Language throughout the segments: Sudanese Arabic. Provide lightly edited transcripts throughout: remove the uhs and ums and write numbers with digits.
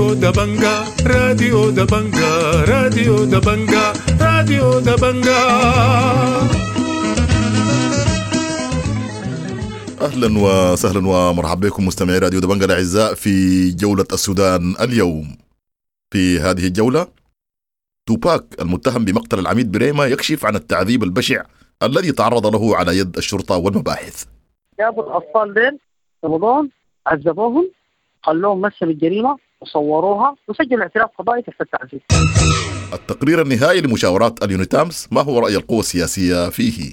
راديو دبنجا، راديو دبنجا، راديو دبنجا، راديو دبنجا. اهلا وسهلا ومرحبا بكم مستمعي راديو دبنجا الاعزاء في جولة السودان اليوم. في هذه الجولة، توباك المتهم بمقتل العميد بريمة يكشف عن التعذيب البشع الذي تعرض له على يد الشرطة والمباحث. جابوا الاطفال ديل، قبضوهم، عذبوهم، خلوهم مثلوا الجريمة وصوروها وسجلوا اعتراف قضائي تحت التعذيب. التقرير النهائي لمشاورات اليونيتامس، ما هو رأي القوى السياسية فيه؟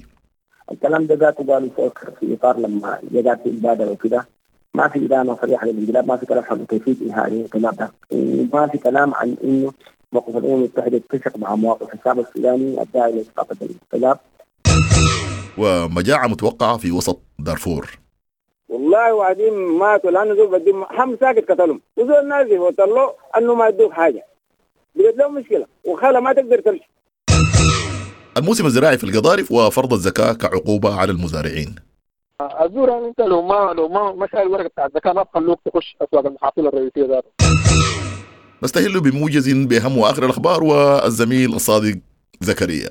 الكلام ده ذاته قالوا فوق في اطار لما جات في المبادرة وكده، ما في ادانة صريحه للانقلاب، ما في كلام عن كيفية انهاء الانقلاب ده، وما في كلام عن انه موقف الامم المتحدة يتفق مع مواقف الشعب السوداني الداعي لاسقاط الانقلاب. ومجاعة متوقعة في وسط دارفور. والله وعدين ماتوا لانه زول بدي هم ساكت قتلهم، وزول نازل وطلعوا انه ما يدوك حاجة، بقت لهم مشكلة وخاله ما تقدر تمشي. الموسم الزراعي في القضارف وفرض الزكاة كعقوبة على المزارعين. الزور يعني انت لو ما شايل الورقة بتاع الزكاة ما بخلوك تخش اسواق المحاصيل الرئيسية ذاته. نستهل بموجز بأهم وآخر الأخبار والزميل الصادق زكريا.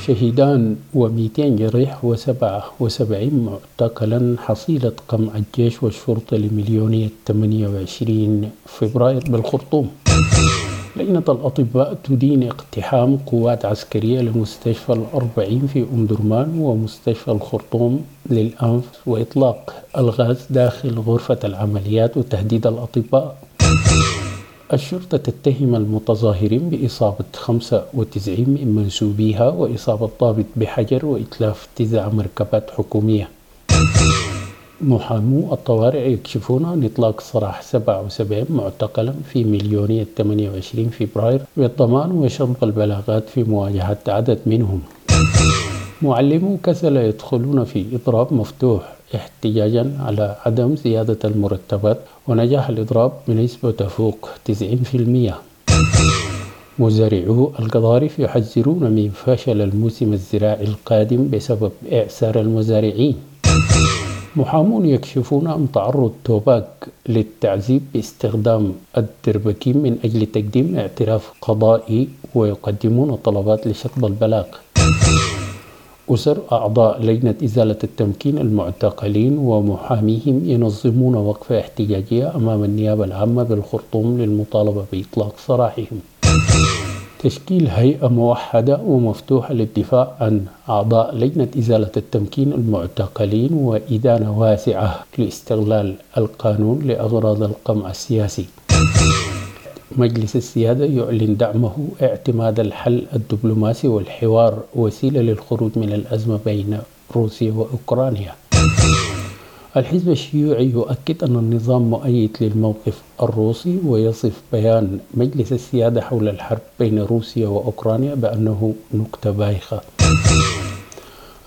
شهيدان و200 جريح و77 معتقلا، حصيلة قمع الجيش والشرطة لمليونية 28 فبراير بالخرطوم. لجنة الأطباء تدين اقتحام قوات عسكرية لمستشفى الأربعين في أم درمان ومستشفى الخرطوم للأنف وإطلاق الغاز داخل غرفة العمليات وتهديد الأطباء. الشرطة تتهم المتظاهرين بإصابة 95 من منسوبيها وإصابة ضابط بحجر وإتلاف 9 مركبات حكومية. محامو الطوارئ يكشفون عن إطلاق سراح 77 معتقلا في مليونية 28 فبراير بالضمان وشطب البلاغات في مواجهة عدد منهم. معلمو كسلا يدخلون في إضراب مفتوح احتجاجا على عدم زيادة المرتبات، ونجاح الإضراب بنسبة تفوق 90%. مزارعو القضارف يحذرون من فشل الموسم الزراعي القادم بسبب إعسار المزارعين. محامون يكشفون عن تعرض توباك للتعذيب باستخدام الدربكين من أجل تقديم اعتراف قضائي، ويقدمون طلبات لشطب البلاغ. أسر أعضاء لجنة إزالة التمكين المعتقلين ومحاميهم ينظمون وقفة احتجاجية أمام النيابة العامة بالخرطوم للمطالبة بإطلاق سراحهم. تشكيل هيئة موحدة ومفتوحة للدفاع عن أعضاء لجنة إزالة التمكين المعتقلين، وإدانة واسعة لاستغلال القانون لأغراض القمع السياسي. مجلس السيادة يعلن دعمه اعتماد الحل الدبلوماسي والحوار وسيلة للخروج من الأزمة بين روسيا وأوكرانيا. الحزب الشيوعي يؤكد أن النظام مؤيد للموقف الروسي، ويصف بيان مجلس السيادة حول الحرب بين روسيا وأوكرانيا بأنه نكتة بايخة.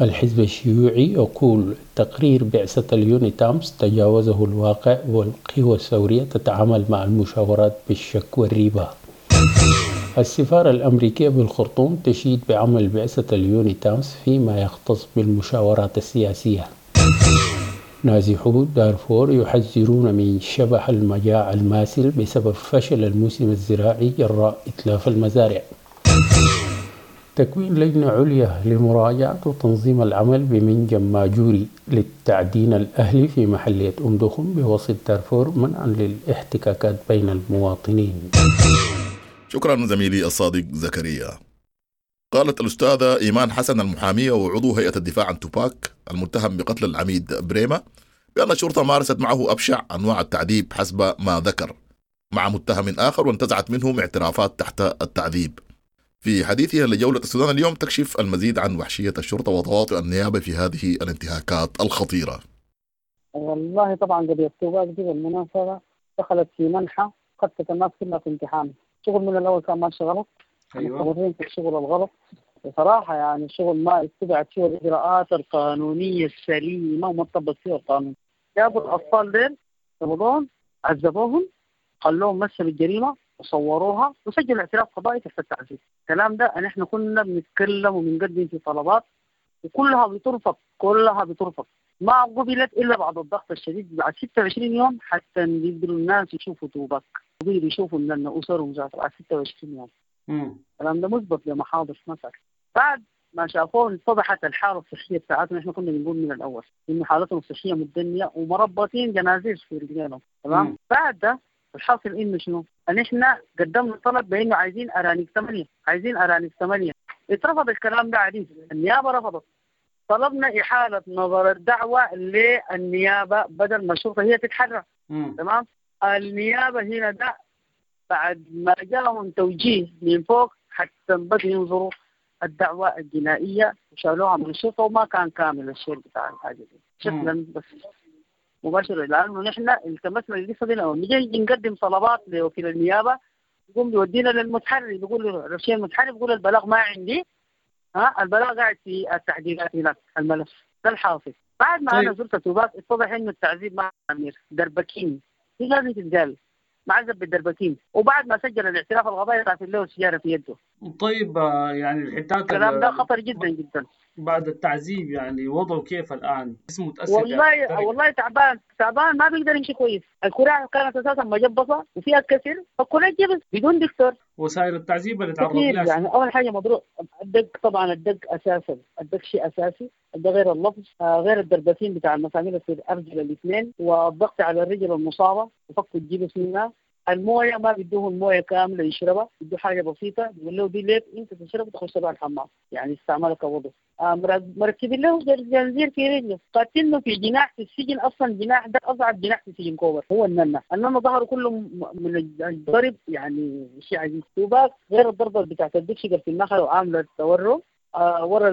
الحزب الشيوعي يقول تقرير بعثة اليونيتامس تجاوزه الواقع، والقوى الثورية تتعامل مع المشاورات بالشك والريبة. السفارة الأمريكية بالخرطوم تشيد بعمل بعثة اليونيتامس فيما يختص بالمشاورات السياسية. نازحو دارفور يحذرون من شبح المجاعة الماثل بسبب فشل الموسم الزراعي جراء إتلاف المزارع. تكوين لجنة عليا لمراجعة وتنظيم العمل بمنجم ماجوري للتعدين الأهلي في محلية أم دخم بوسط دارفور منعا للاحتكاكات بين المواطنين. شكرا زميلي الصادق زكريا. قالت الأستاذة إيمان حسن المحامية وعضو هيئة الدفاع عن توباك المتهم بقتل العميد بريمة بأن الشرطة مارست معه أبشع أنواع التعذيب حسب ما ذكر مع متهم آخر، وانتزعت منهم اعترافات تحت التعذيب. في حديثها لجولة السودان اليوم تكشف المزيد عن وحشية الشرطة وتواطؤ النيابة في هذه الانتهاكات الخطيرة. والله طبعا قضية توباك دي بالمناسبة دخلت في منحى ختت الناس كلها في امتحان. شغل من الأول كان ماشي غلط، مستمرين في الشغل الغلط بصراحة. يعني الشغل ما اتبعت فيه الإجراءات القانونية السليمة وما طبق فيه القانون. جابوا الأطفال ديل، قبضوهم، عذبوهم، خلوهم مثلوا الجريمة وصوروها وسجلوا اعتراف قضائي تحت التعذيب. الكلام ده نحن كنا بنتكلم وبنقدم في طلبات وكلها بترفض، كلها بترفض. ما قبلت الا بعد الضغط الشديد بعد 26 يوم حتى يقدروا الناس يشوفوا توباك ويقدروا يشوفوا ان اسرهم ذاته بعد 26 يوم. الكلام ده مثبت لمحاضر مثلا. بعد ما شافوه اتضحت الحالة الصحية بتاعتهم، احنا كنا بنقول من الاول انه حالتهم الصحية متدنيه ومربطين جنازير في رجلينهم، تمام؟ بعد ده الحاصل انه شنو؟ ان احنا قدمنا طلب بانه عايزين ارانب 8، عايزين ارانب 8، اترفض الكلام ده عديد، النيابة رفضت. طلبنا احالة نظر الدعوة للنيابه بدل ما الشرطة هي تتحرك، تمام؟ النيابة هنا ده بعد ما جاهم توجيه من فوق حتى بدوا ينظروا الدعوة الجنائية وشالوها من الشرطة، وما كان كامل الشيء بتاع الحاجة دي شكلا بس مباشرة، لأنه نحن التمسنا القصة دي لما نجي نقدم طلبات لوكيل النيابة يقوم بيودينا للمتحري، بيقول الشيء المتحري بيقول البلاغ ما عندي، ها البلاغ قاعد في التحقيقات هناك الملف ده الحاصل. بعد ما طيب. أنا زرت توباك اتضح إنه التعذيب مع أمير دربكين، دي لازم تتقال، معذب بالدربكين، وبعد ما سجل الاعتراف القضائي قاتل له سيجارة في يده. طيب يعني الحتات الكلام ده خطر جدا جدا. بعد التعذيب يعني وضعه كيف الان؟ جسمه متاثر؟ والله تعبان تعبان، ما بيقدر يمشي كويس، الكراع كانت اساسا مجبصه وفيها كسر، فالكراع جبس بدون دكتور. وسائل التعذيب اللي تعرض لها يعني اول حاجة مضروب الدق، طبعا الدق اساسا، الدق شيء اساسي، ده غير اللفظ، غير الدربتين بتاع المسامير في الارجل الاثنين، والضغط على الرجل المصابة وفك الجبس منها. المويه ما بيدوه المويه كاملة يشربها، بيدوه حاجة بسيطة، بيقول له دي ليك انت تشرب تخش بها الحمام، يعني استعمالها كوضوء. مركبين له جنزير في رجله، قاتلينه في جناح في السجن، اصلا الجناح ده اصعب جناح في سجن كوبر، هو الننه، الننه ظهره كله من الضرب يعني شيء عجيب. توباك غير الضربة بتاعت الدكشقه في النخلة وعامله تورم، ورا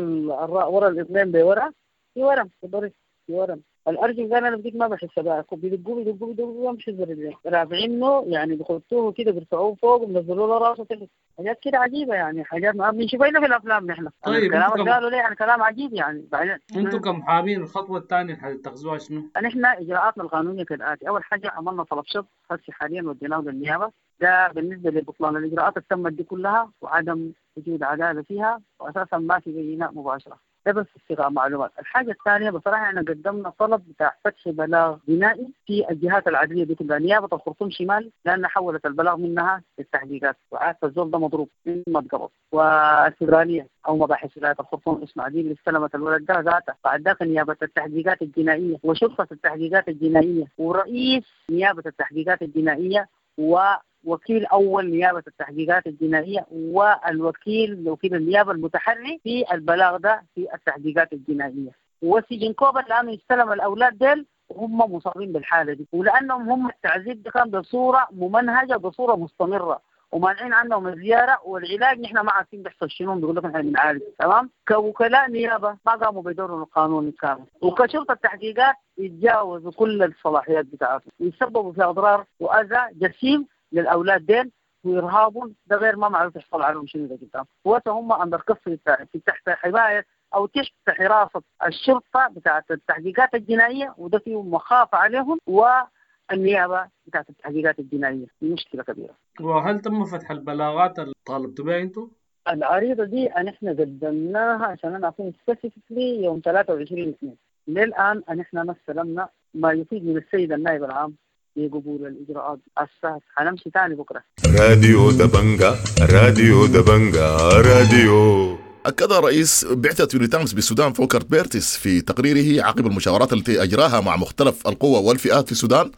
ورا الاثنين بورا في ورم في ضرب في ورم. الارجل قال انا بديك ما بحس بها، بيدقوا بيدقوا بيدقوا ما بحس برجلين، رافعينه يعني بيخطوه كده بيرفعوه فوق وبينزلوا له راسه تحت، حاجات كده عجيبة يعني، حاجات ما بنشوفها الا في الافلام نحن. طيب الكلام اللي قالوا ليه يعني كلام عجيب يعني. بعدين انتم كمحامين الخطوة الثانية اللي حتتخذوها شنو؟ نحن اجراءاتنا القانونية كالاتي، اول حاجة عملنا طلب شط هسه حاليا وديناه للنيابه، ده بالنسبة لبطلان الاجراءات اللي تمت دي كلها وعدم وجود عدالة فيها، واساسا ما في بينات مباشرة. ده بس استيغاء معلومات. الحاجة الثانية بصراحة احنا قدمنا طلب بتاع فتح بلاغ جنائي في الجهات العدلية دي كلها، نيابة الخرطوم شمال لأن حولت البلاغ منها للتحقيقات، وعارفة الزول ده مضروب ما اتقبض، والفدرالية أو مباحث ولاية الخرطوم اسمها دي اللي استلمت الولد ده ذاته، بعد ذاك نيابة التحقيقات الجنائية وشرطة التحقيقات الجنائية ورئيس نيابة التحقيقات الجنائية ووكيل أول نيابة التحقيقات الجنائية والوكيل وكيل النيابة المتحري في البلاغ ده في التحقيقات الجنائية. وسجن كوبر لأنه استلم الأولاد ديل وهم مصابين بالحالة دي، ولأنهم هم التعذيب ده كان بصورة ممنهجة بصورة مستمرة ومانعين عنهم الزيارة والعلاج، نحن ما عارفين بيحصل شنو، بيقول لك نحن بنعالج، تمام؟ كوكلاء نيابة ما قاموا بدورهم القانوني الكامل، وكشرطه التحقيقات يتجاوزوا كل الصلاحيات بتاعتهم ويسببوا في اضرار واذى جسيم للاولاد ديل وارهابهم، ده غير ما معروف يحصل عليهم شنو ده قدام، وهسه هم under custody تحت حماية او تحت حراسة الشرطة بتاعت التحقيقات الجنائية، وده فيه مخافة عليهم والنيابه بتاعت التحقيقات الجنائية، دي مشكلة كبيرة. وهل تم فتح البلاغات اللي طالبتوا بها انتم؟ العريضة دي نحن قدمناها عشان انا اكون specifically يوم 23/2، للان نحن ما استلمنا ما يفيد من السيد النائب العام بقبول الاجراءات. هسه حنمشي ثاني بكره. راديو دبنجا، راديو دبنجا، راديو. أكد رئيس بعثة يونيتامس بالسودان فولكر بيرتس في تقريره عقب المشاورات التي أجراها مع مختلف القوى والفئات في السودان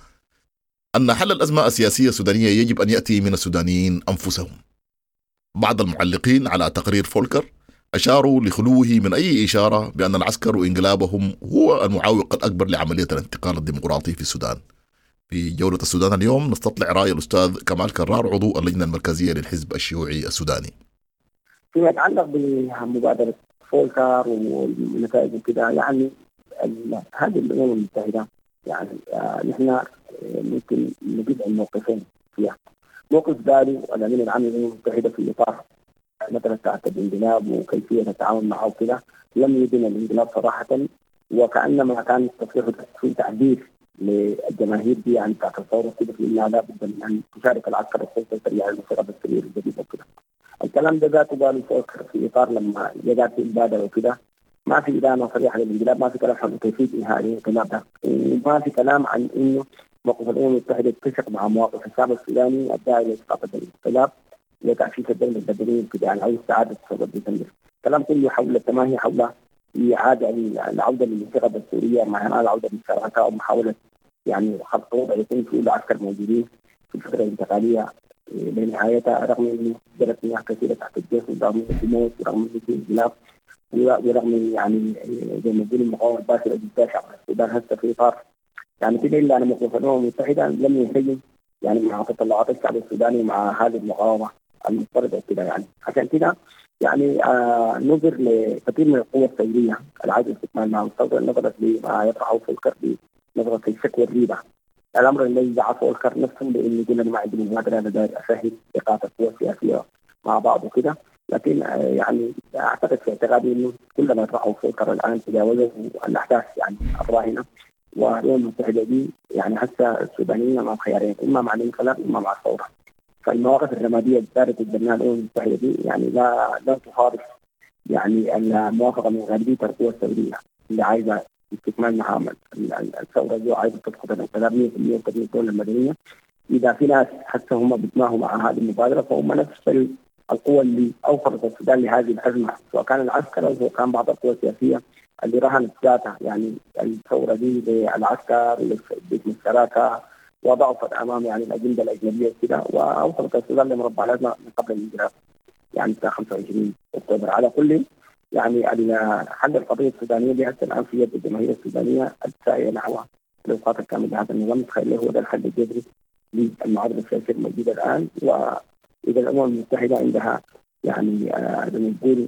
أن حل الأزمة السياسية السودانية يجب أن يأتي من السودانيين أنفسهم. بعض المعلقين على تقرير فولكر أشاروا لخلوه من أي إشارة بأن العسكر وإنقلابهم هو المعوق الأكبر لعملية الانتقال الديمقراطي في السودان. في جولة السودان اليوم نستطلع رأي الأستاذ كمال كرار عضو اللجنة المركزية للحزب الشيوعي السوداني. فيما يتعلق بمبادرة فولكر والنتائج وكذا، يعني هذه الأمم المتحدة يعني نحن ممكن نجد الموقفين فيها. موقف داري الأمين العام للأمم المتحدة في إطار مثلا بتاعت الانقلاب وكيفية التعامل معه وكذا، لم يدن الانقلاب صراحة، وكأنما كان تصريحه في تعبير للجماهير دي يعني بتاعت الثورة كده في انها لابد من ان تشارك العسكر السلطة السريعة المسيرة بالسرير الجديد وكذا. الكلام ده ذاته قالوا فولكر في اطار لما جاءت المبادرة وكذا، ما في إدانة صريحة للانقلاب، ما في كلام حول كيفية إنهاء الانقلاب ده، وما في كلام عن إنه موقف الأمم المتحدة يتفق مع مواقف الشعب السوداني الداعي لإسقاط الانقلاب لتأسيس الدولة المدنية وكده يعني، أو استعادة ثورة ديسمبر. الكلام كله حول التماهي حول إعادة العودة للانتخابات السورية مع العودة للشراكة ومحاولة يعني خلق وضع يكون فيه العسكر موجودين في الفترة الانتقالية لنهايتها، رغم انه جرت مياه كثيرة تحت الجيش، ورغم انه في موت، ورغم انه في انقلاب، ورغم يعني زي ما نقول المقاومة الباسله جدا شعب السودان هسه في اطار يعني كده، الا ان موقف الامم المتحدة لم ينسجم يعني مع تطلعات الشعب السوداني مع هذه المقاومة المضطربة كده يعني. عشان كده يعني نظر لكثير من القوى الثورية العايزه استكمال مع الثورة، نظرت لما يطرحه فولكر بنظره الشك والريبه، الامر الذي دعا فولكر نفسه بانه يقول انا ما عندي مبادرة، انا داير اسهل ايقاف القوى السياسية مع بعض وكده. لكن يعني اعتقد في اعتقادي انه كل ما يطرحه فولكر الان تجاوزه الاحداث يعني الراهنة، والامم المتحدة دي يعني هسه السودانيين امام خيارين، اما مع الانقلاب اما مع الثورة. فالمواقف الرمادية اللي دارت تتبناها الامم المتحدة دي يعني لا تصادف يعني الموافقة من غالبية القوى الثورية اللي عايزه استكمال مهام الثورة دي وعايزه تسقط الانقلاب 100% وتبني الدولة المدنية. اذا في ناس حتى هم بيتماهوا مع هذه المبادرة فهم نفس القوى اللي اوصلت السودان لهذه الازمة، سواء كان العسكر او سواء كان بعض القوى السياسية اللي رهنت ذاتها يعني الثورة دي للعسكر باسم الشراكة وضعفت امام يعني الاجندة الاجنبية وكده، واوصلت السودان لمربع الازمة من قبل الانقلاب يعني بتاع 25 اكتوبر. على كل يعني حل القضية السودانية دي حتى الان في يد الجماهير السودانية الساعيه نحو الاسقاط الكامل لهذا النظام. تخيل هو ده الحل الجذري للمعادله السياسية الموجودة الان. واذا الامم المتحدة عندها يعني زي ما نقول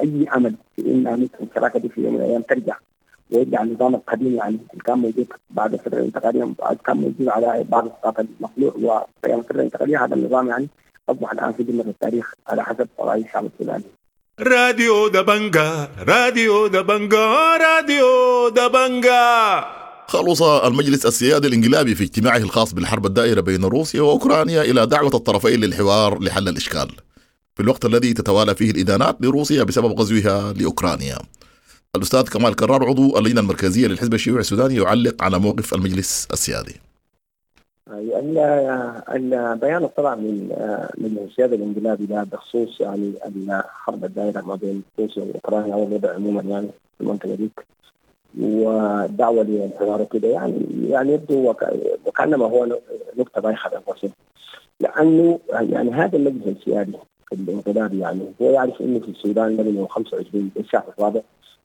اي امل في ان مثل الشراكة دي في يوم من الايام ترجع ويرجع النظام القديم يعني اللي كان موجود بعد الفترة الانتقالية، كان موجود على بعض اسقاط المخلوع وقيام الفترة الانتقالية، هذا النظام يعني اصبح الان في ذمه التاريخ على حسب راي الشعب السوداني. راديو دبنجا، راديو دبنجا، راديو دبنجا. خلص المجلس السيادي الانقلابي في اجتماعه الخاص بالحرب الدائرة بين روسيا وأوكرانيا إلى دعوة الطرفين للحوار لحل الإشكال، في الوقت الذي تتوالى فيه الإدانات لروسيا بسبب غزوها لأوكرانيا. الأستاذ كمال كرار عضو اللجنة المركزية للحزب الشيوعي السوداني يعلق على موقف المجلس السيادي. البيان طبعا من مجلس السيادة الانقلابي ده بخصوص يعني الحرب الدائرة ما بين روسيا وأوكرانيا والوضع عموما يعني في المنطقة ديك، والدعوة للحوار وكده، يعني يبدو وكأنما هو نقطة بايخة بين قوسين، لأنه يعني هذا المجلس السيادي الانقلابي يعني هو يعرف إنه في السودان من يوم 25 الشهر الرابع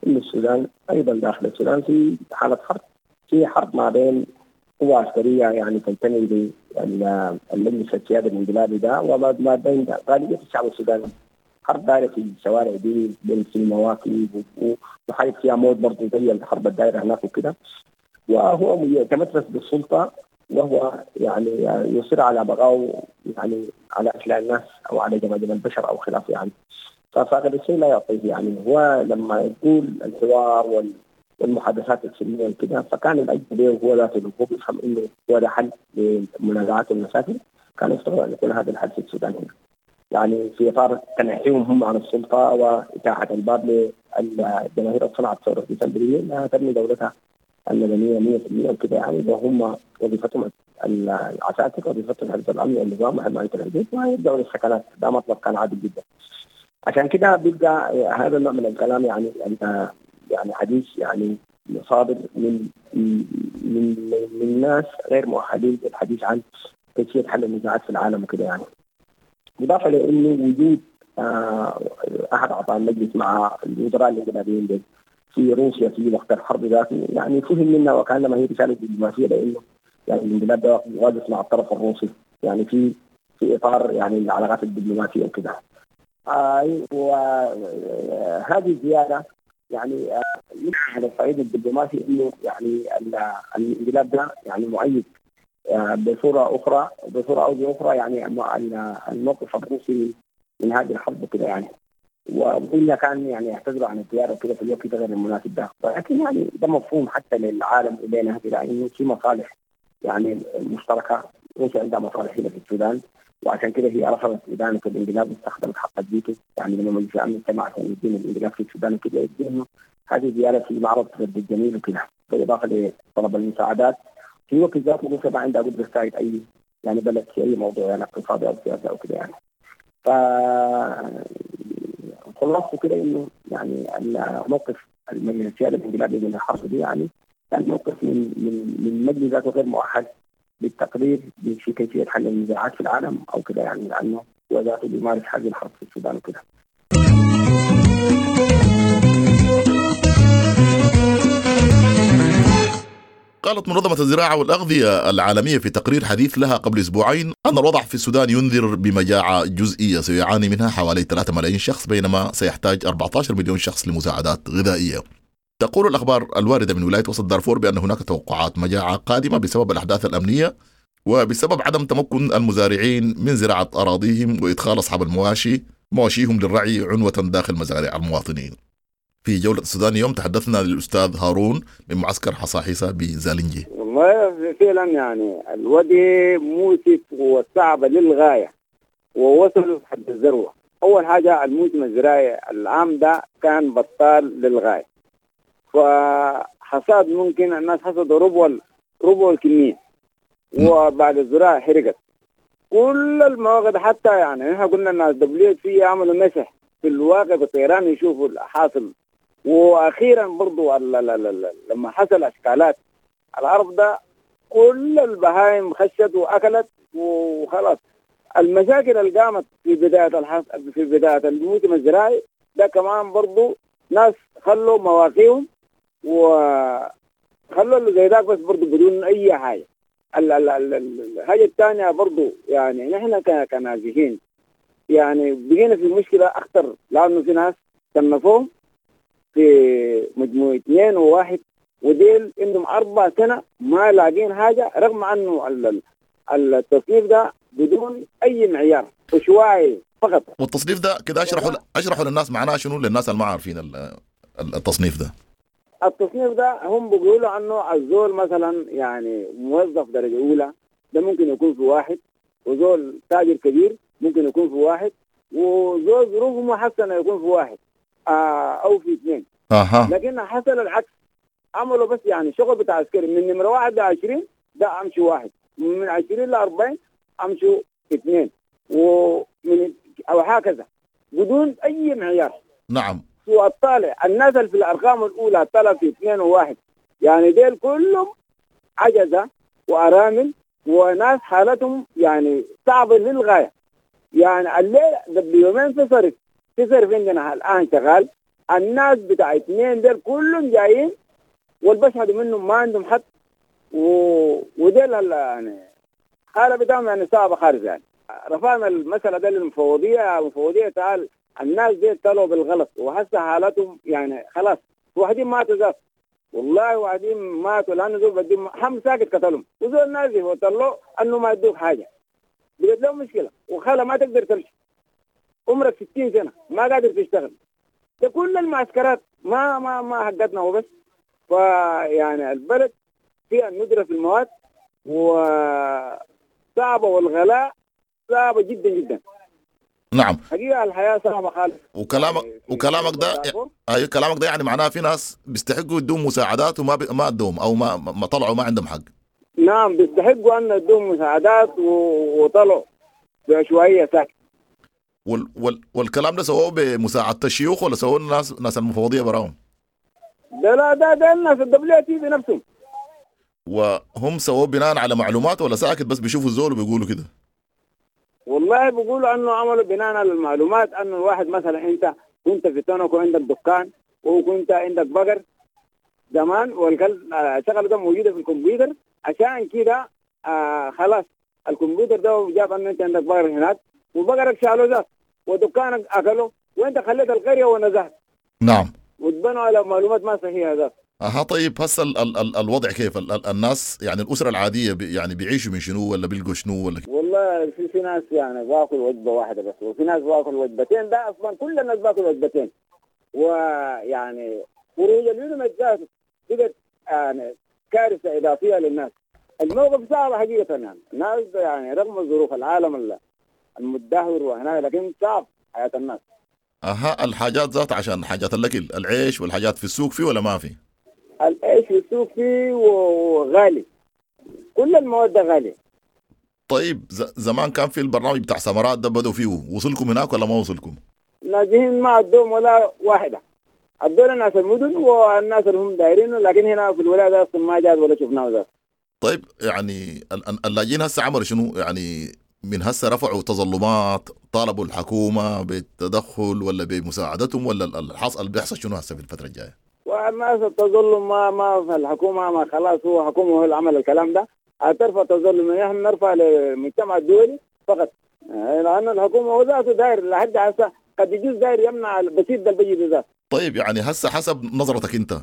إنه السودان أيضا داخل السودان في حالة حرب، في حرب ما بين قوى عسكرية يعني تنتمي للمجلس السيادي الانقلابي ده وما بين غالبية الشعب السوداني. حرب دايرة في الشوارع دي في المواكب وحرب فيها موت برضه زي الحرب الدايرة هناك وكده، وهو يتمترس بالسلطة وهو يعني يصر على بقائه يعني على أشلاء الناس أو على جماجم البشر أو خلافه يعني. ففاقد الشيء لا يعطيه يعني. هو لما يقول الحوار والمحادثات السلمية وكده فكان الأجل هو ذاته هو بيفهم إنه هو ده حل لمنازعات المشاكل، كان يفترض أن يكون هذا الحل في السودان هنا يعني في إطار تنحيهم هم عن السلطة وإتاحة الباب للجماهير صنعت ثورة ديسمبرية أنها تبني دولتها المدنية 100% وكده يعني، وهم وظيفتهم العساكر وظيفتهم حفظ الأمن والنظام وحماية الحدود ويرجعوا للسكنات. ده مطلب كان عادل جدا. عشان كده بيبقى هذا النوع من الكلام يعني حديث يعني صادر من من من ناس غير مؤهلين للحديث عن كيفية حل النزاعات في العالم وكده يعني. إضافة لأنه وجود أحد أعضاء المجلس مع الوزراء الانقلابيين في روسيا في وقت الحرب ذاته يعني فهم منا وكأنما هي رسالة دبلوماسية، لأنه يعني الانقلاب ده واقف مع الطرف الروسي يعني في إطار يعني العلاقات الدبلوماسية وكده. وهذه الزيادة يعني على الصعيد الدبلوماسي إنه يعني الانقلاب ده يعني مؤيد بصورة أخرى بصورة أو بأخرى يعني الموقف الروسي من هذه الحرب كده يعني، وإلا كان يعني يعتذروا عن الزيارة وكده في الوقت غير المناسب ده، ولكن يعني ده مفهوم حتى للعالم إلينا كده إنه في مصالح يعني مشتركة روسيا عندها مصالح هنا في السودان، وعشان كده هي رفضت إدانة الانقلاب واستخدمت حق الفيتو. يعني لما مجلس الأمن اجتمع عشان يدين الانقلاب في السودان وكده، يدين هذه زيارة في معرض رد الجميل وكده، بالإضافة لطلب المساعدات. في وقت ذاته روسيا ما عندها قدرة تساعد أي يعني بلد في أي موضوع يعني اقتصادي أو سياسي أو كده يعني. ف خلاصته كده إنه يعني الموقف المجلس السيادي الانقلابي من الحرب دي يعني كان موقف من من من مجلس ذاته غير مؤهل للتقرير في كيفية حل النزاعات في العالم أو كده يعني، لأنه هو ذاته بيمارس هذه الحرب في السودان وكده. قالت منظمة الزراعة والأغذية العالمية في تقرير حديث لها قبل أسبوعين أن الوضع في السودان ينذر بمجاعة جزئية سيعاني منها حوالي 3 ملايين شخص، بينما سيحتاج 14 مليون شخص لمساعدات غذائية. تقول الأخبار الواردة من ولاية وسط دارفور بأن هناك توقعات مجاعة قادمة بسبب الأحداث الأمنية وبسبب عدم تمكن المزارعين من زراعة أراضيهم وإدخال أصحاب المواشي مواشيهم للرعي عنوة داخل مزارع المواطنين. في جولة السودان اليوم تحدثنا للأستاذ هارون من معسكر حصاحيصة بزالنجي. والله فعلا يعني الوضع مؤسف وصعب للغاية ووصلوا حد الذروة. أول حاجة الموسم الزراعي العام ده كان بطال للغاية، فحصاد ممكن الناس حصدوا ربع الكمية، وبعد الزراعة حرقت كل المواقع. حتى يعني نحن قلنا الناس WFP عملوا مسح في الواقع بالطيران يشوفوا الحاصل. واخيرا برضو لما حصل اشكالات الارض ده كل البهائم خشت واكلت وخلاص. المشاكل اللي قامت في بداية الموسم الزراعي ده كمان برضو ناس خلوا مواقيهم وخلوا اللي زي ذاك، بس برضو بدون اي حاجة. الحاجة الثانية برضو يعني نحن كنازحين يعني بقينا في مشكلة اخطر، لانه في ناس صنفوهم في مجموعة 2 و1 وديل عندهم 4 سنة ما لاقين حاجة، رغم أنه التصنيف ده بدون أي معيار وشوائي فقط. والتصنيف ده كده أشرحوا للناس معناه شنو، للناس اللي ما عارفين التصنيف ده. التصنيف ده هم بيقولوا أنه الزول مثلا يعني موظف درجة أولى ده ممكن يكون في 1، وزول تاجر كبير ممكن يكون في 1، وزول ظروفه محسنة يكون في 1 أو في 2. لكن حصل العكس، عملوا بس يعني شغل بتاع عسكري من نمرة 1 ل 20 ده أمشي 1، من 20 ل 40 أمشوا 2، ومن أو هكذا بدون أي معيار. نعم. والطالع الناس في الأرقام الأولى طلع في 2 و1، يعني ديل كلهم عجزة وأرامل وناس حالتهم يعني صعبة للغاية. يعني الليل قبل يومين في صرف عندنا الآن شغال، الناس بتاع 2 ديل كلهم جايين والبشهد منهم ما عندهم حد، وديل يعني حالة بتاعهم يعني صعبة خالص. يعني رفعنا المسألة ده للمفوضية، المفوضية تعال الناس دي طلعوا بالغلط وهسه حالتهم يعني خلاص، واحدين ماتوا ذات والله، واحدين ماتوا لأنه زول بدهم هم ساكت قتلهم، وزول نازل وطلعوا أنه ما يدوك حاجة، بقت لهم مشكلة وخالة ما تقدر تمشي، عمرك 60 سنة ما قادر تشتغل. ده كل المعسكرات ما ما ما حقتنا وبس. فيعني البلد فيها الندرة في المواد وصعبة، والغلاء صعبة جدا جدا. نعم حقيقة الحياة صعبة خالص. وكلامك ده أي كلامك ده يعني معناه في ناس بيستحقوا يدوم مساعدات وما ما ادوهم او ما طلعوا ما عندهم حق. نعم بيستحقوا ان يدوم مساعدات وطلعوا بعشوائية ساكت. والكلام ده سووه بمساعدة الشيوخ ولا سووه الناس المفوضية براهم؟ ده لا ده الناس ال WFP بنفسهم. وهم سووه بناء على معلومات ولا ساكت بس بيشوفوا الزول وبيقولوا كده؟ والله بيقولوا انه عملوا بناء على المعلومات، انه الواحد مثلا انت كنت في تونك وعندك دكان وكنت عندك بقر زمان، والشغله ده موجودة في الكمبيوتر، عشان كده خلاص الكمبيوتر ده جاب انه انت عندك بقر هناك وبقرك شالوه ذات ودكانك اكله وانت خليت القرية ونزهت. نعم. وتبنوا على معلومات ما صحيحه ذات. اها طيب هسه الوضع كيف؟ الناس يعني الاسرة العادية يعني بيعيشوا من شنو ولا بيلقوا شنو ولا؟ والله في ناس يعني باكل وجبة واحدة بس، وفي ناس باكل وجبتين، ده اصلا كل الناس باكل وجبتين. ويعني خروج اليوم ذاته بقت يعني كارثة اضافية للناس. الموقف صعب حقيقة يعني، الناس يعني رغم ظروف العالم المتدهور وهنا، لكن صعب حياة الناس. اها الحاجات ذات عشان حاجات الاكل، العيش والحاجات في السوق فيه ولا ما في؟ العيش في السوق فيه وغالي، كل المواد غالية. طيب زمان كان في البرنامج بتاع سمرات ده بدوا فيه، وصلكم هناك ولا ما وصلكم؟ نازلين ما عندهم ولا واحدة، ادونا ناس المدن والناس اللي هم دايرينه، لكن هنا في الولاية اصلا ما جات ولا شفناه ذات. طيب يعني اللاجئين هسه عملوا شنو؟ يعني من هسه رفعوا تظلمات، طالبوا الحكومة بالتدخل ولا بمساعدتهم، ولا الحصل بيحصل شنو هسه في الفترة الجاية؟ والناس التظلم ما في الحكومة، ما خلاص هو حكومة هو اللي عمل الكلام ده، هترفع تظلم، نحن نرفع للمجتمع الدولي فقط، لأن الحكومة هو ذاته داير لحد هسه قد يجوز داير يمنع البسيط ده البيجي بذاته. طيب يعني هسه حسب نظرتك انت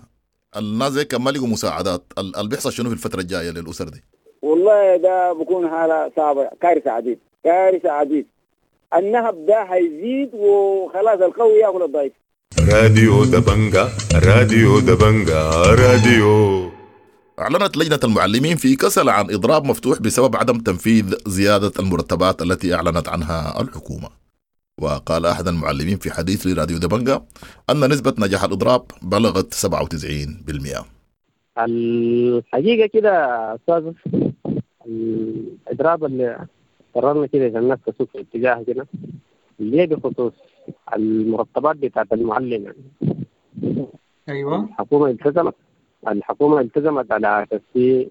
الناس زي كان ما لقوا مساعدات، اللي بيحصل شنو في الفترة الجاية للأسر دي؟ والله ده بكون حالة صعبة، كارثة عديد، كارثة عديد. النهب ده هيزيد وخلاص القوي ياكل الضعيف. راديو دبنجا، راديو دبنجا، راديو. أعلنت لجنة المعلمين في كسل عن إضراب مفتوح بسبب عدم تنفيذ زيادة المرتبات التي أعلنت عنها الحكومة. وقال أحد المعلمين في حديث لراديو دبنجا أن نسبة نجاح الإضراب بلغت 97%. الحقيقة كده أستاذ، الإضراب اللي قررنا كده إذا الناس تسوق في اتجاه كده اللي بخصوص المرتبات بتاعت المعلم يعني. أيوة. الحكومة التزمت على أساس في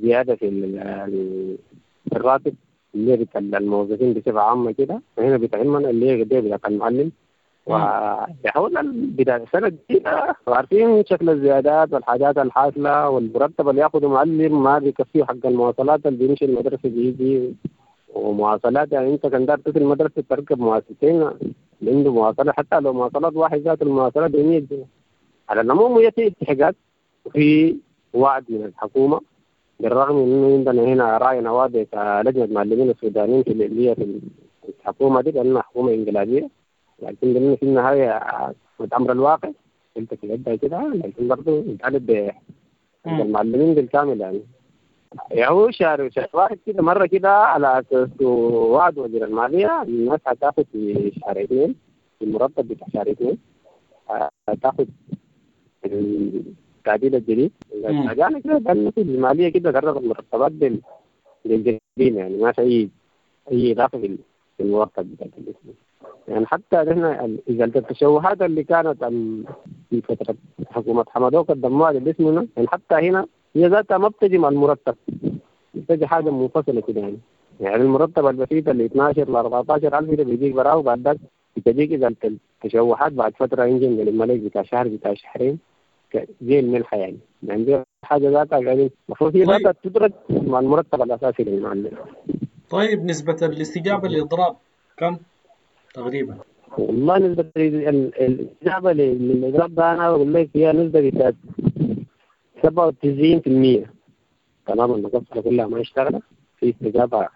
زيادة في الراتب اللي بتاع الموظفين بصفة عامة كده، وهنا بتعمنا اللي هي قد بتاع المعلم. وحاولنا بداية السنة الجديدة وعارفين شكل الزيادات والحاجات الحاصلة، والمرتب اللي ياخده معلم ما بيكفيه حق المواصلات اللي بيمشي المدرسة بيجي، ومواصلات يعني انت كان دار تصل المدرسة تركب مواصلتين اللي عنده مواصلات، حتى لو مواصلات واحد ذات المواصلات ب 100 جنيه. على العموم هي في اتحاقات وفي وعد من الحكومة، بالرغم من انه عندنا هنا راينا واضح كلجنة معلمين السودانيين في اللي هي في الحكومة دي لأنها حكومة انقلابية، لكن لأنه في النهاية أمر الواقع قلت في العدة كده، لكن برضه نطالب بالمعلمين بالكامل يعني. يا هو شهر واحد كده مرة كده على أساس وعد وزير المالية الناس هتاخد في شهر 2 في المرتب بتاع شهر 2 هتاخد التعديل الجديد. يعني كده لأنه في المالية كده قررت المرتبات بالجديد يعني ما في أي إضافة في المرتب بتاع الاسم يعني. حتى نحن إذا التشوهات اللي كانت في فترة حكومة حمدوك قدموها للاسم يعني حتى هنا هي ذاتها ما بتجي مع المرتب، بتجي حاجة منفصلة كده يعني. يعني المرتب البسيط اللي 12 ل 14 ألف ده بيجيك براه، وبعد ذاك بتجيك إذا التشوهات بعد فترة ينجم من الملك بتاع شهر بتاع شهرين زي الملحة يعني. يعني دي حاجة ذاتها يعني المفروض هي ذاتها تدرج مع المرتب الأساسي للمعلم. طيب نسبة الاستجابة للإضراب كم تقريبا؟ والله نسبة الاستجابة للإضراب ده أنا بقول لك هي نسبة بتاعت 97%. تمام، المقصرة كلها ما اشتغلت في استجابة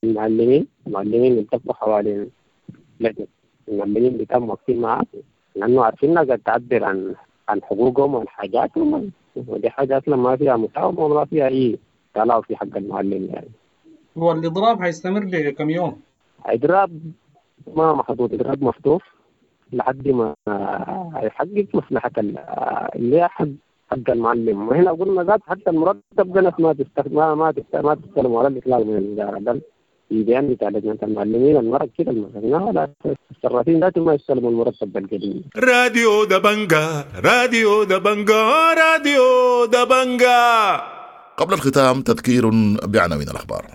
للمعلمين، المعلمين التفوا حوالين لجنة المعلمين بتاعهم واقفين معاه لأنه عارفين إنها قاعد تعبر عن حقوقهم وعن حاجاتهم، ودي حاجة أصلا ما فيها مساومة وما فيها أي تلاعب في حق المعلم يعني. هو الإضراب هيستمر لكم يوم؟ إضراب ما محدود، إضراب مفتوح لحد ما يحقق مصلحة اللي هي حق المعلم. وهنا قلنا ذات حتى المرتب ده ناس ما تستلم ولا الإطلاق من الوزارة، بل في بيان بتاع لجنة المعلمين المرة كده المرة ولا الصرافين ذاتهم ما يستلموا المرتب بالقديم. راديو دبنجا، راديو دبنجا، راديو دبنجا. قبل الختام تذكير بعناوين الأخبار.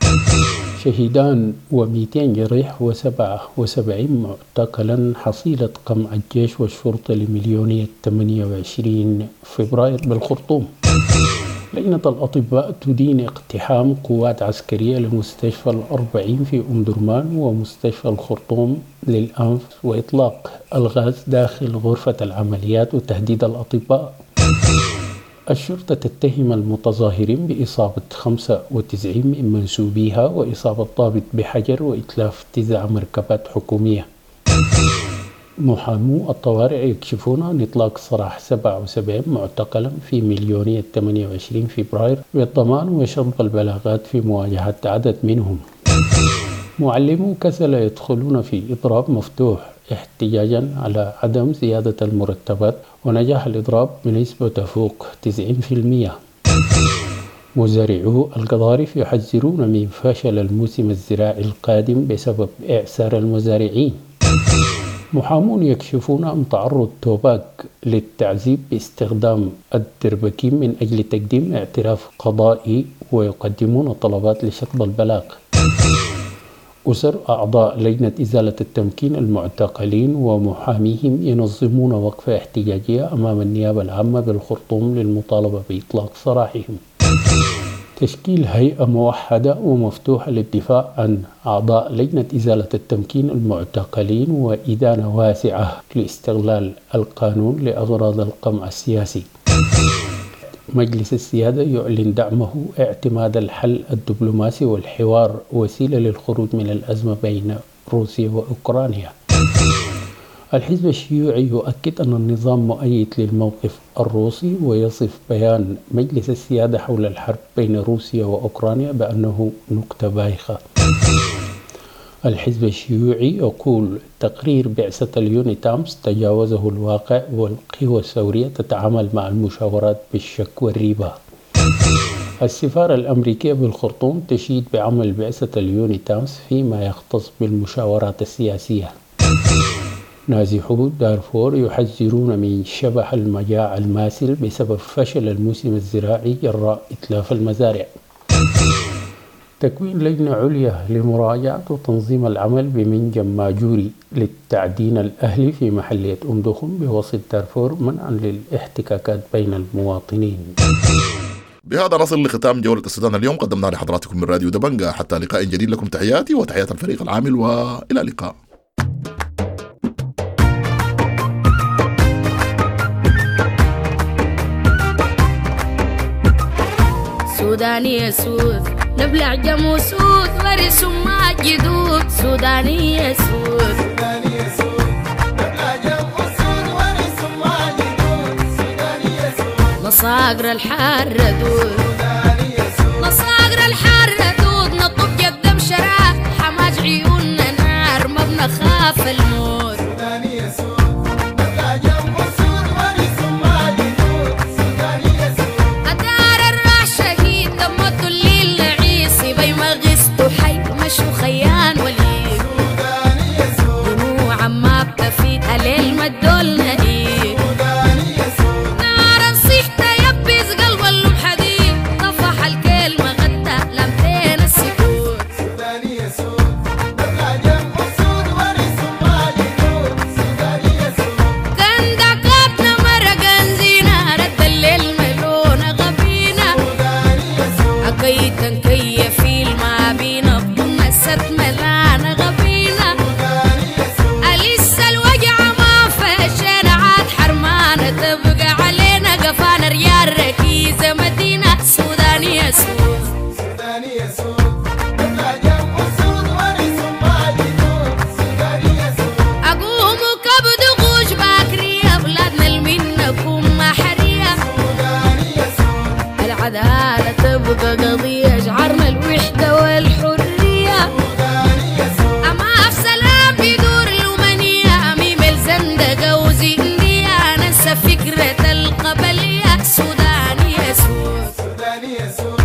شهيدان و200 جريح و77 معتقلا حصيلة قمع الجيش والشرطة لمليونية 28 فبراير بالخرطوم. لجنة الأطباء تدين اقتحام قوات عسكرية لمستشفى 40 في أم درمان ومستشفى الخرطوم للأنف وإطلاق الغاز داخل غرفة العمليات وتهديد الأطباء. الشرطة تتهم المتظاهرين بإصابة 95 من منسوبيها وإصابة ضابط بحجر وإتلاف 9 مركبات حكومية. محامو الطوارئ يكشفون عن إطلاق سراح 77 معتقلا في مليونية 28 فبراير بالضمان وشطب البلاغات في مواجهة عدد منهم. معلمو كسلا يدخلون في إضراب مفتوح احتجاجا على عدم زيادة المرتبات، ونجاح الإضراب بنسبة تفوق 90%. مزارعو القضارف يحذرون من فشل الموسم الزراعي القادم بسبب إعسار المزارعين. محامون يكشفون عن تعرض توباك للتعذيب باستخدام الدربكين من أجل تقديم اعتراف قضائي، ويقدمون طلبات لشطب البلاغ. أسر أعضاء لجنة إزالة التمكين المعتقلين ومحاميهم ينظمون وقفة احتجاجية أمام النيابة العامة بالخرطوم للمطالبة بإطلاق سراحهم. تشكيل هيئة موحدة ومفتوحة للدفاع عن أعضاء لجنة إزالة التمكين المعتقلين، وإدانة واسعة لاستغلال القانون لأغراض القمع السياسي. مجلس السيادة يعلن دعمه اعتماد الحل الدبلوماسي والحوار وسيلة للخروج من الأزمة بين روسيا وأوكرانيا. الحزب الشيوعي يؤكد أن النظام مؤيد للموقف الروسي، ويصف بيان مجلس السيادة حول الحرب بين روسيا وأوكرانيا بأنه نكتة بايخة. الحزب الشيوعي يقول تقرير بعثة اليونيتامس تجاوزه الواقع، والقوى الثورية تتعامل مع المشاورات بالشك والريبة. السفارة الأمريكية بالخرطوم تشيد بعمل بعثة اليونيتامس فيما يختص بالمشاورات السياسية. نازحو دارفور يحذرون من شبح المجاعة الماثل بسبب فشل الموسم الزراعي جراء إتلاف المزارع. تكوين لجنة عليا لمراجعة وتنظيم العمل بمنجم ماجوري للتعدين الأهلي في محلية أم دخم بوسط دارفور منعا للاحتكاكات بين المواطنين. بهذا نصل لختام جولة السودان اليوم، قدمنا لحضراتكم من راديو دبنجا. حتى لقاء جديد، لكم تحياتي وتحيات الفريق العامل، وإلى اللقاء. سوداني سود نبلع جموسود ورث ما جدود. سوداني سود سوداني سود نبلع جموسود ورث ما جدود. سوداني سود نصاقر الحار دود. سوداني سود نصاقر الحار دود. نطب جدم شراب حماج عيوننا نار ما بنخاف الموت. سوداني سود نبلع جموسود ورث ما جدود. سوداني سود أدار الراح شهيد دمته الليل نعيسي بي ما غزته حي مشو خيان وليد. سوداني سود دموع ما بتفيد هليل ما تدولنا ايه. سوداني سود نار نصيحته يبز قلب اللم حديد طفح الكلمة غدا لمتين السكوت. سوداني سود نبلع جموسود ورث ما جدود. سوداني سود كندكاتنا مرقا زينة رد الليل ملونة غبينة. سوداني سود أكيتا كيف ما بينا بضنا ست ملانة غبينة. سوداني سود أليس الوجع ما فشينا عاد حرمانة تبقى علينا قفانا ريال ركيزة مدينة. سودانية سود سوداني سود نبلع جموسود ورث ما جدود. سوداني سود أقوم كبد غوش باكرية بلادنا المنكم ما حرية. سوداني سود العدالة تبقى قضية شعرنا الوحدة والحرية. سوداني سود أما في سلام بدور الأمنية أميم الزندقة وزندية ننسى فكرة القبلية. سودانية سود سوداني سود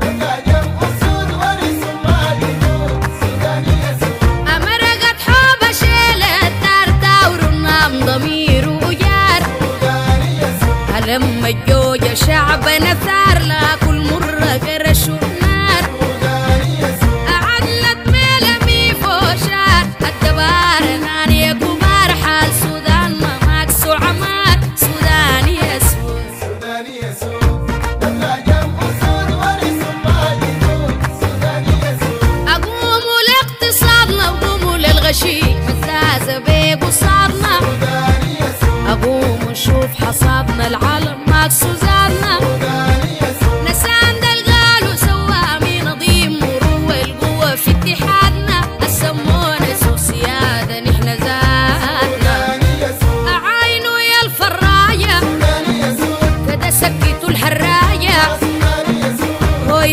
نبلع جموسود ورث ما جدود. سوداني سود أمرقت حوبة شيلة الدار تاور النام ضمير وجار. سوداني سود لما الجوجة شعبنا ثار لا كل مرة قرش ونار. سوداني سود أعدلت ميلمي فوشار الدبار ناني كبار حال سودان ما ماكس وعمار. سوداني سود سوداني سود نبلع جموسود ورث ما جدود. سوداني سود أقوموا لاقتصادنا وقوموا للغشيم مزازة بيب وصادنا. سوداني سود أقوم ونشوف حصادنا العالم ماكس وزادنا. سوداني سود نسان دلقالو سوامي نظيم مروة القوة في اتحادنا. السمونا سو سيادة نحن زادنا.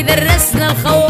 درسنا الخوف.